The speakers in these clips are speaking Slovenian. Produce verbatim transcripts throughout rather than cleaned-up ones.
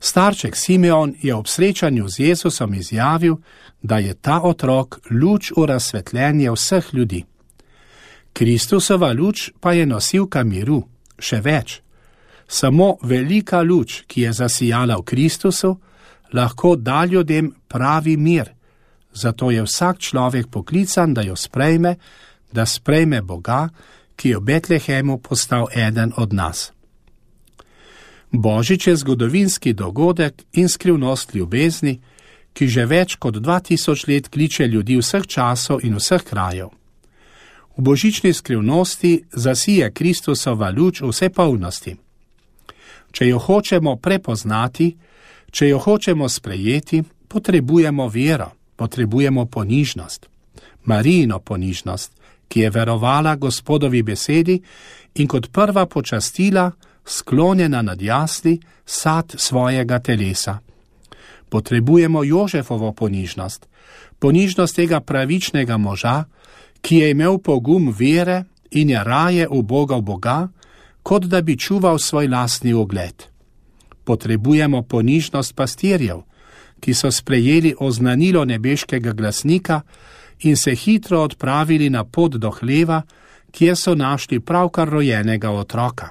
Starček Simeon je ob srečanju z Jezusom izjavil, da je ta otrok luč v razsvetljenje vseh ljudi. Kristusova luč pa je nosilka miru, še več. Samo velika luč, ki je zasijala v Kristusu, lahko da ljudem pravi mir. Zato je vsak človek poklican, da jo sprejme, da sprejme Boga, ki je v Betlehemu postal eden od nas. Božič je zgodovinski dogodek in skrivnost ljubezni, ki že več kot dva tisoč let kliče ljudi vseh časov in vseh krajev. V božični skrivnosti zasije Kristusova luč vse polnosti. Če jo hočemo prepoznati, če jo hočemo sprejeti, potrebujemo vero, potrebujemo ponižnost. Marijino ponižnost, ki je verovala Gospodovi besedi in kot prva počastila, sklonjena nad jasli, sad svojega telesa. Potrebujemo Jožefovo ponižnost, ponižnost tega pravičnega moža, ki je imel pogum vere in je raje ubogal Boga, kot da bi čuval svoj lastni ugled. Potrebujemo ponižnost pastirjev, ki so sprejeli oznanilo nebeškega glasnika in se hitro odpravili na pot do hleva, kjer so našli pravkar rojenega otroka.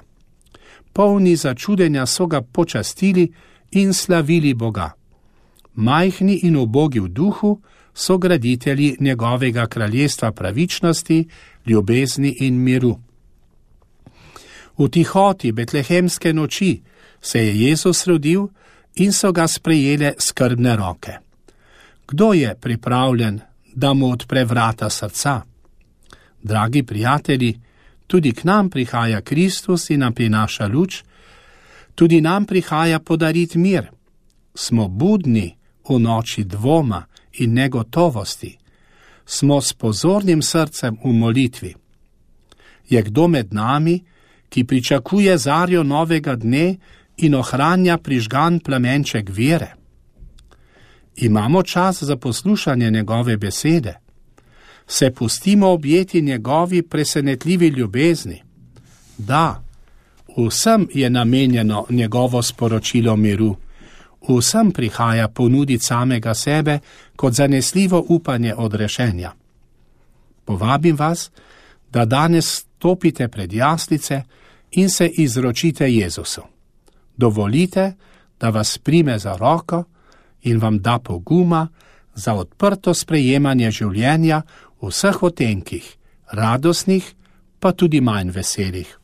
Polni začudenja so ga počastili in slavili Boga. Majhni in ubogi v duhu so graditelji njegovega kraljestva pravičnosti, ljubezni in miru. V tihoti betlehemske noči se je Jezus rodil in so ga sprejele skrbne roke. Kdo je pripravljen, da mu odpre vrata srca? Dragi prijatelji, tudi k nam prihaja Kristus in nam prinaša luč, tudi nam prihaja podariti mir. Smo budni v noči dvoma in negotovosti. Smo s pozornim srcem v molitvi. Je kdo med nami, ki pričakuje zarjo novega dne in ohranja prižgan plamenček vere? Imamo čas za poslušanje njegove besede. Se pustimo objeti njegovi presenetljivi ljubezni. Da, vsem je namenjeno njegovo sporočilo miru. Vsem prihaja ponuditi samega sebe kot zanesljivo upanje odrešenja. Povabim vas, da danes stopite pred jaslice in se izročite Jezusu. Dovolite, da vas prime za roko in vam da poguma za odprto sprejemanje življenja v vseh otenkih, radostnih, pa tudi manj veselih.